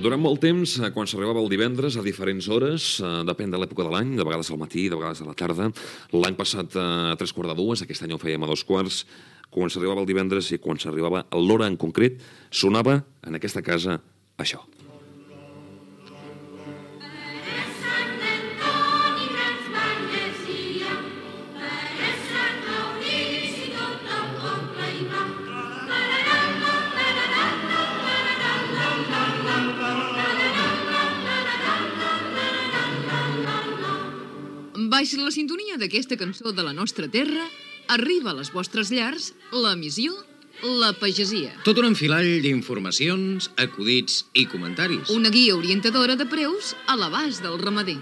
Durant molt temps, quan s'arribava el divendres, a diferents hores, depèn de l'època de l'any, de vegades al matí, de vegades a la tarda, l'any passat a 3:45, aquest any ho fèiem a 2:15, quan s'arribava el divendres i quan s'arribava a l'hora en concret, sonava en aquesta casa això. Baix la sintonia d'aquesta cançó de la nostra terra, arriba a les vostres llars l'emissió La Pagesia. Tot un enfilall d'informacions, acudits i comentaris. Una guia orientadora de preus a l'abast del ramader.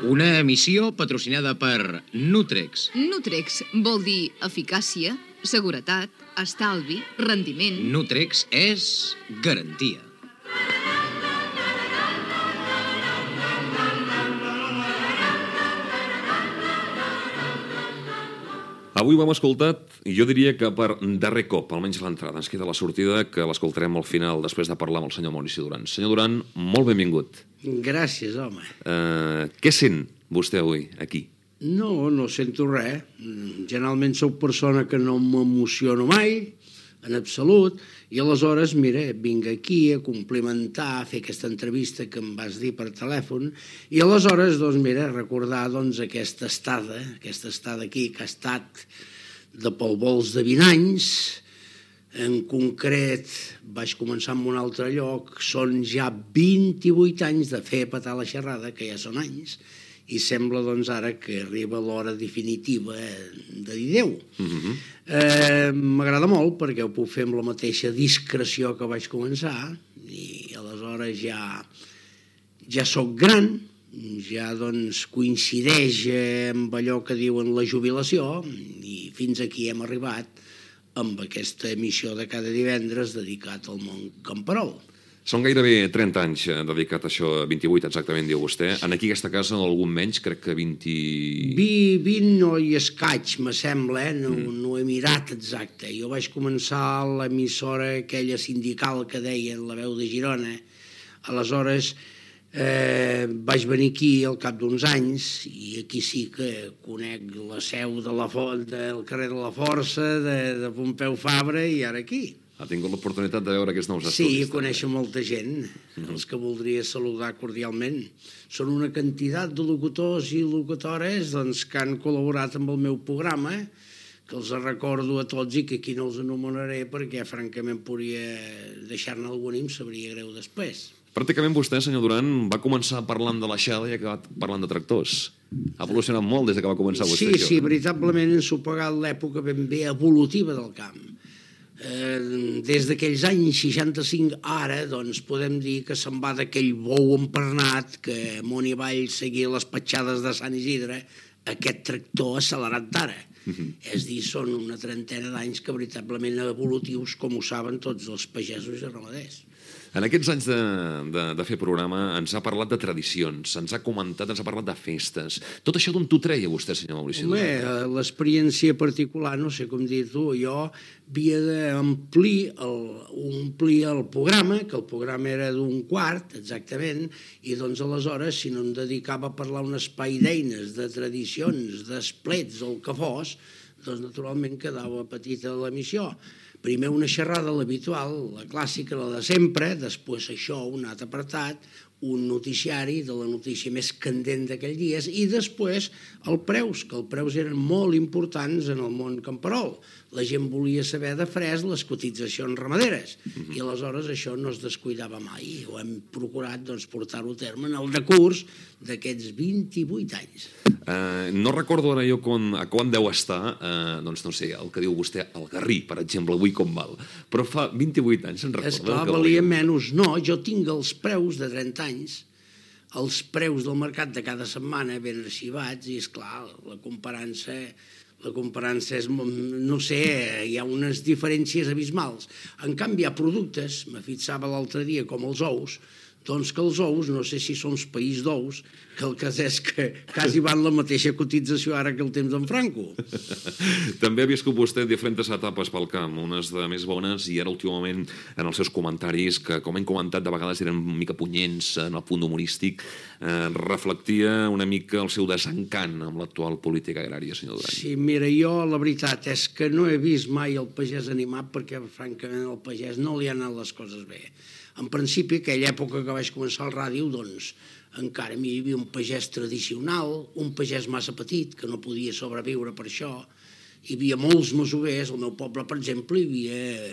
Una emissió patrocinada per Nutrex. Nutrex vol dir eficàcia, seguretat, estalvi, rendiment. Nutrex és garantia. Avui ho hem escoltat, jo diria que per darrer cop, almenys l'entrada. Ens queda la sortida, que l'escoltarem al final, després de parlar amb el senyor Maurici Duran. Senyor Duran, molt benvingut. Gràcies, home. Què sent vostè avui, aquí? No sento res. Generalment sóc persona que no m'emociono mai, en absolut, i aleshores, mira, vinc aquí a complimentar, a fer aquesta entrevista que em vas dir per telèfon, i aleshores, doncs, mira, recordar doncs, aquesta estada aquí, que ha estat de pel vols de 20 anys. En concret, vaig començar en un altre lloc, són ja 28 anys de fer petar la xerrada, que ja són anys, i sembla, doncs, ara que arriba l'hora definitiva de dir adéu. M'agrada molt perquè ho puc fer amb la mateixa discreció que vaig començar i aleshores ja soc gran, ja doncs coincideix amb allò que diuen la jubilació i fins aquí hem arribat amb aquesta emissió de cada divendres dedicat al món camperol. Són gairebé 30 anys dedicat a això, 28 exactament, diu vostè. En aquí aquesta casa, algun menys, crec que 20... 20 no i escaig, me sembla, no he mirat exacte. Jo vaig començar a l'emissora aquella sindical que deien La Veu de Girona. Aleshores vaig venir aquí al cap d'uns anys i aquí sí que conec la seu del carrer de la Força, de Pompeu Fabra i ara aquí. Ha tingut l'oportunitat de veure aquests nous estudis. Sí, conèixer molta gent, els que voldria saludar cordialment. Són una quantitat de locutors i locutores que han col·laborat amb el meu programa, que els recordo a tots i que aquí no els anomenaré perquè, francament, podria deixar-ne algun i em sabria greu després. Pràcticament vostè, senyor Duran, va començar parlant de l'aixada i ha acabat parlant de tractors. Ha evolucionat molt des que va començar vostè. Sí, veritablement ens ha pagat l'època ben bé evolutiva del camp. Des d'aquells anys 65 ara, doncs podem dir que se'n va d'aquell bou empernat que amunt i avall seguia les petjades de Sant Isidre, aquest tractor accelerat d'ara. És a dir, són una trentena d'anys que veritablement evolutius, com ho saben tots els pagesos i ramaders. En aquests anys de fer programa ens ha parlat de tradicions, ens ha comentat, ens ha parlat de festes. Tot això d'on t'ho treia vostè, senyor Maurici Duran? Home, l'experiència particular, no sé com dir-t'ho, jo havia d'omplir el programa, que el programa era d'un quart, exactament, i doncs aleshores, si no em dedicava a parlar un espai d'eines, de tradicions, d'esplets, o el que fos, doncs naturalment quedava petita l'emissió. Primer una xerrada, l'habitual, la clàssica, la de sempre, després això, un altre apartat, un noticiari de la notícia més candent d'aquell dia, i després els preus, que els preus eren molt importants en el món camperol. La gent volia saber de fresc les cotitzacions ramaderes, i aleshores això no es descuidava mai. Ho hem procurat portar-ho a terme en el decurs d'aquests 28 anys. No recordo ara jo a quan deu estar, doncs no sé, el que diu vostè, el garrí, per exemple, avui com val. Però fa 28 anys, se'n recorda? Esclar, valia menys. No, jo tinc els preus de 30 anys, els preus del mercat de cada setmana ben arxivats, i esclar, la comparança és, no sé, hi ha unes diferències abismals. En canvi, hi ha productes, me fixava l'altre dia, com els ous, doncs que els ous, no sé si són país d'ous, que el cas és que quasi van la mateixa cotització ara que el temps d'en Franco. També ha viscut vostè diferents etapes pel camp, unes de més bones i ara últimament en els seus comentaris, que com hem comentat de vegades eren una mica punyents en el punt humorístic, reflectia una mica el seu desencant amb l'actual política agrària, senyor Duran. Sí, mira, jo la veritat és que no he vist mai el pagès animat perquè francament al pagès no li han anat les coses bé. En principi, aquella època que vaig començar al ràdio, doncs encara hi havia un pagès tradicional, un pagès massa petit, que no podia sobreviure per això. Hi havia molts masovers, al meu poble, per exemple, hi havia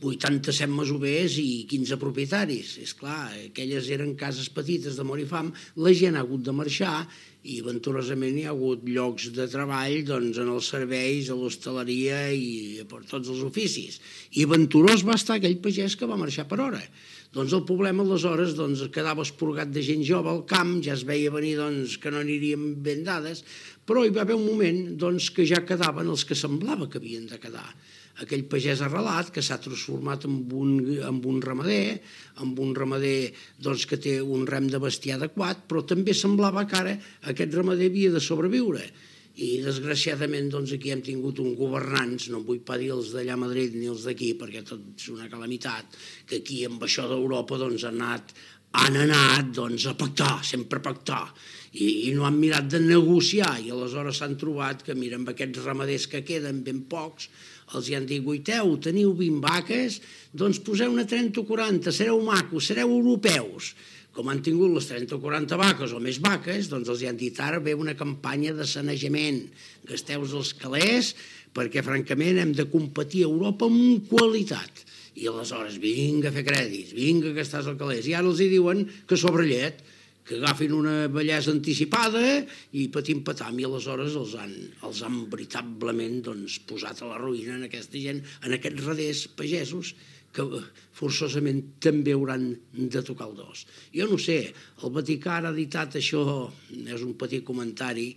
87 masovers i 15 propietaris. És clar, aquelles eren cases petites de mort i fam, la gent ha hagut de marxar i venturosament hi ha hagut llocs de treball doncs, en els serveis, a l'hostaleria i per tots els oficis. I venturós va estar aquell pagès que va marxar per hora. Doncs el problema aleshores doncs, quedava esporgat de gent jove al camp, ja es veia venir doncs, que no anirien ben dades, però hi va haver un moment doncs, que ja quedaven els que semblava que havien de quedar. Aquell pagès arrelat que s'ha transformat en un ramader doncs, que té un rem de bestiar adequat, però també semblava que ara aquest ramader havia de sobreviure. I desgraciadament doncs, aquí hem tingut un governants, no vull pas dir els d'allà a Madrid ni els d'aquí, perquè tot és una calamitat, que aquí amb això d'Europa doncs, han anat doncs, a pactar, sempre a pactar, i no han mirat de negociar, i aleshores s'han trobat que, mira, amb aquests ramaders que queden ben pocs, els hi han dit, guaiteu, teniu 20 vaques, doncs poseu-ne 30 o 40, sereu macos, sereu europeus. Com han tingut les 30 o 40 vaques o més vaques, doncs els hi han dit ara ve una campanya de sanejament, gasteu-vos els calés perquè francament hem de competir a Europa amb qualitat. I aleshores vinga a fer crèdits, vinga a gastar els calés. I ara els hi diuen que sobre llet, que agafin una bellesa anticipada i patim-patam, i aleshores els han veritablement doncs, posat a la ruïna en aquesta gent, en aquests raders pagesos, que forçosament també hauran de tocar el dos. Jo no sé, el Vaticà ha editat això, és un petit comentari,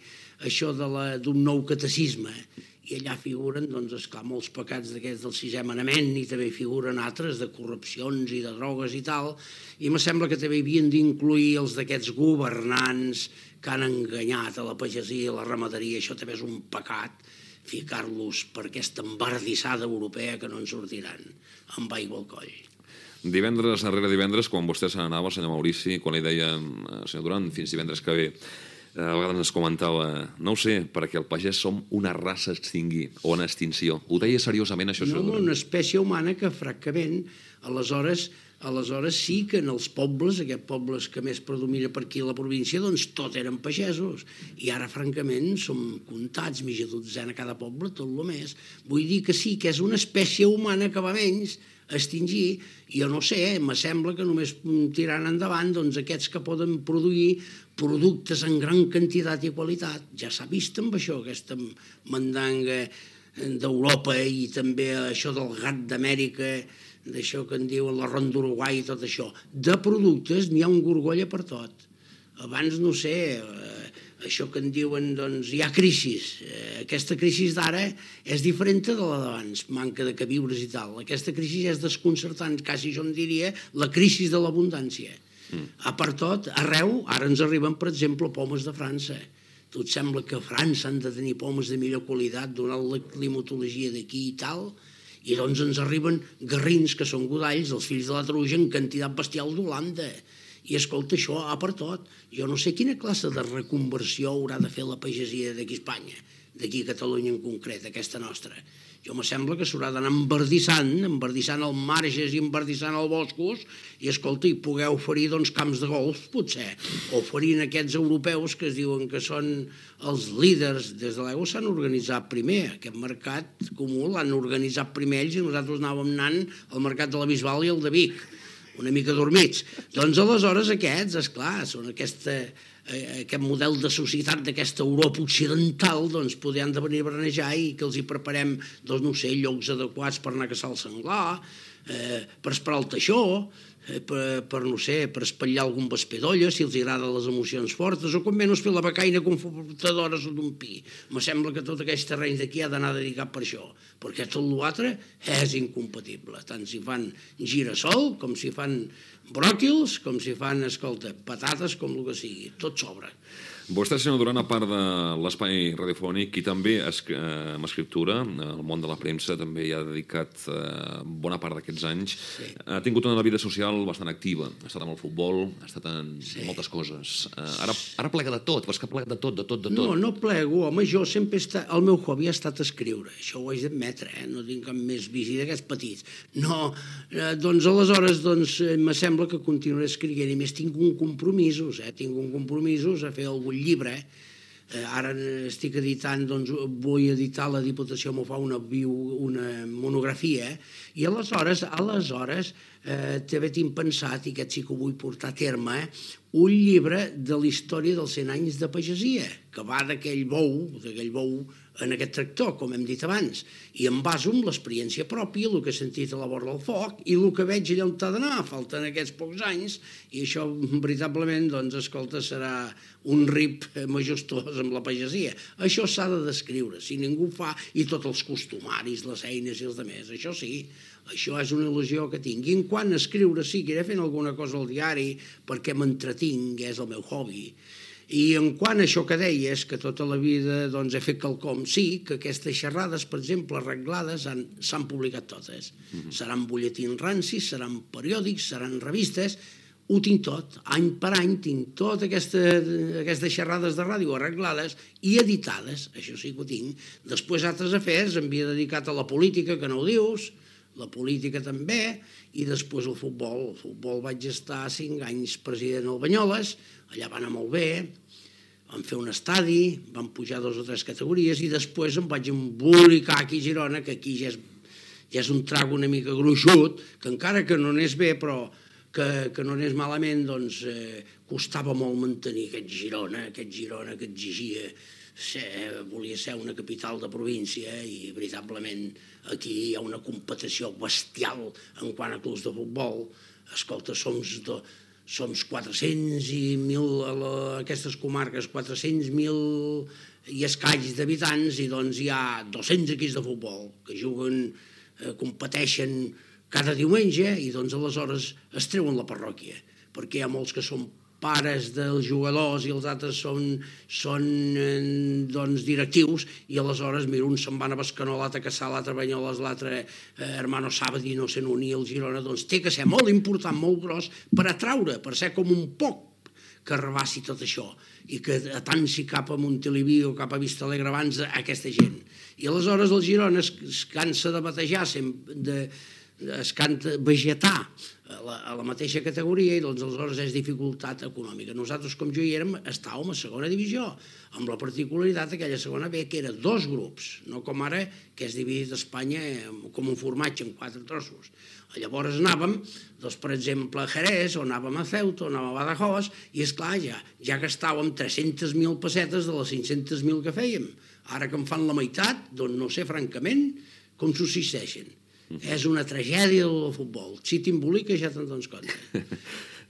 això d'un nou catecisme, i allà figuren, doncs, esclar, molts pecats d'aquests del sisè manament, i també figuren altres de corrupcions i de drogues i tal, i me sembla que també havien d'incluir els d'aquests governants que han enganyat a la pagesia i la ramaderia, això també és un pecat, ficar-los per aquesta embardissada europea que no en sortiran amb aigua al coll. Divendres darrere divendres, quan vostè se n'anava, senyor Maurici, quan li deia, senyor Duran, fins divendres que ve, a vegades ens comentava, no ho sé, perquè el pagès som una raça a extingir o en extinció. Ho deia seriosament, això, senyor Duran? No, una espècie humana que, francament, aleshores sí que en els pobles, aquests pobles que més predomina per aquí a la província, doncs tot eren pagesos. I ara, francament, som comptats, mitja dotzena a cada poble, tot el més. Vull dir que sí, que és una espècie humana que va menys a extingir, i jo no sé, me sembla que només tirant endavant doncs, aquests que poden produir productes en gran quantitat i qualitat. Ja s'ha vist amb això, aquesta mandanga d'Europa i també això del gat d'Amèrica, d'això que en diuen la ronda d'Uruguai i tot això. De productes n'hi ha un gorgolla per tot. Abans, no sé, això que en diuen, doncs, hi ha crisis. Aquesta crisi d'ara és diferent de la d'abans, manca de queviures i tal. Aquesta crisi és desconcertant, quasi jo en diria la crisi de l'abundància. A part tot, arreu, ara ens arriben, per exemple, pomes de França. Tu et sembla que a França han de tenir pomes de millor qualitat, donant la climatologia d'aquí i tal, i doncs ens arriben garrins, que són godalls, els fills de la Truja, en quantitat bestial d'Holanda. I escolta, això ha per tot. Jo no sé quina classe de reconversió haurà de fer la pagesia d'aquí a Espanya, d'aquí a Catalunya en concret, aquesta nostra. Jo me sembla que s'haurà d'anar embardissant els marges i embardissant els boscos, i escolta, i poder oferir doncs, camps de golf, potser, oferint aquests europeus que es diuen que són els líders des de l'aigua, s'han organitzat primer. Aquest mercat comú l'han organitzat primer ells i nosaltres anàvem anant al mercat de la Bisbal i el de Vic, una mica dormits. Doncs aleshores aquests, esclar, són aquest model de societat d'aquesta Europa occidental, doncs podran de venir a branejar i que els hi preparem, doncs no sé, llocs adequats per anar a caçar el senglar, per esperar el teixó, no sé, per espatllar algun vesper d'olla, si els agraden les emocions fortes, o com menys fer la becaina confortadora sota un pi. Me sembla que tot aquest terreny d'aquí ha d'anar dedicat per això, perquè tot l'altre és incompatible, tant si fan girassol, com si fan bròquils, com si fan, escolta, patates, com el que sigui, tot sobra. Vostè, senyor Duran, a part de l'espai radiofònic i també amb escriptura, el món de la premsa també hi ha dedicat bona part d'aquests anys. Sí. Ha tingut una vida social bastant activa. Ha estat amb el futbol, ha estat en moltes coses. Ara plega de tot, és que plega de tot. No plego, home, jo sempre el meu hobby ha estat escriure, això ho haig d'admetre, no tinc cap més vici d'aquests petits. No, doncs aleshores me sembla que continuaré escrivint, i més tinc un compromisos a fer algun llibre. Ara estic editant, vull editar, la Diputació m'ho fa una monografia, i aleshores també tinc pensat, i aquest sí que ho vull portar a terme, un llibre de la història dels 100 anys de pagesia, que va d'aquell bou en aquest tractor, com hem dit abans, i em baso en l'experiència pròpia, el que he sentit a la vora del foc, i el que veig allà on t'ha d'anar, falten aquests pocs anys, i això, veritablement, escolta, serà un rip majestós amb la pagesia. Això s'ha de descriure, si ningú ho fa, i tots els costumaris, les eines i els altres, això sí, això és una il·lusió que tinc. I en quant a escriure, sí, que iré fent alguna cosa al diari, perquè m'entretinc, és el meu hobby. I en quant a això que deies, que tota la vida he fet quelcom, sí, que aquestes xerrades, per exemple, arreglades, s'han publicat totes. Seran butlletins rancis, seran periòdics, seran revistes, ho tinc tot. Any per any tinc totes aquestes xerrades de ràdio arreglades i editades, això sí que ho tinc. Després altres afers, em havia dedicat a la política, que no ho dius, la política també, i després el futbol. El futbol vaig estar 5 anys president al Banyoles, allà va anar molt bé, vam fer un estadi, vam pujar 2 o 3 categories, i després em vaig embolicar aquí a Girona, que aquí ja és un trago una mica gruixut, que encara que no anés bé, però que no anés malament, costava molt mantenir aquest Girona que exigia volia ser una capital de província, i veritablement aquí hi ha una competició bestial en quant a clubs de futbol. Escolta, som 400 i 1.000 a aquestes comarques, 400.000 i escaig d'habitants, i hi ha 200 equips de futbol que juguen, competeixen cada diumenge, i aleshores es treuen la parròquia, perquè hi ha molts que són pares dels jugadors i els altres són directius, i aleshores, mira, uns se'n van a Bescanó, l'altre a Cassà, l'altre a Banyoles, l'altre Hermano Sabadell, no sé, unir el Girona, té que ser molt important, molt gros, per atraure, per ser com un poc que rebassi tot això, i que atansi cap a Montilivi o cap a Vista Alegre abans aquesta gent. I aleshores el Girona es cansa de batejar, es canta vegetar a la mateixa categoria, i aleshores és dificultat econòmica. Nosaltres, com jo hi érem, estàvem a segona divisió, amb la particularitat d'aquella segona B, que era 2 grups, no com ara, que és dividit a Espanya com un formatge en 4 trossos. Llavors anàvem, per exemple, a Jerez, o anàvem a Ceuta, o anàvem a Badajoz, i esclar, ja gastàvem 300.000 pessetes de les 500.000 que fèiem. Ara que en fan la meitat, no sé, francament, com subsisteixen. És una tragèdia del futbol. Si t'embolica ja te'n dones compte.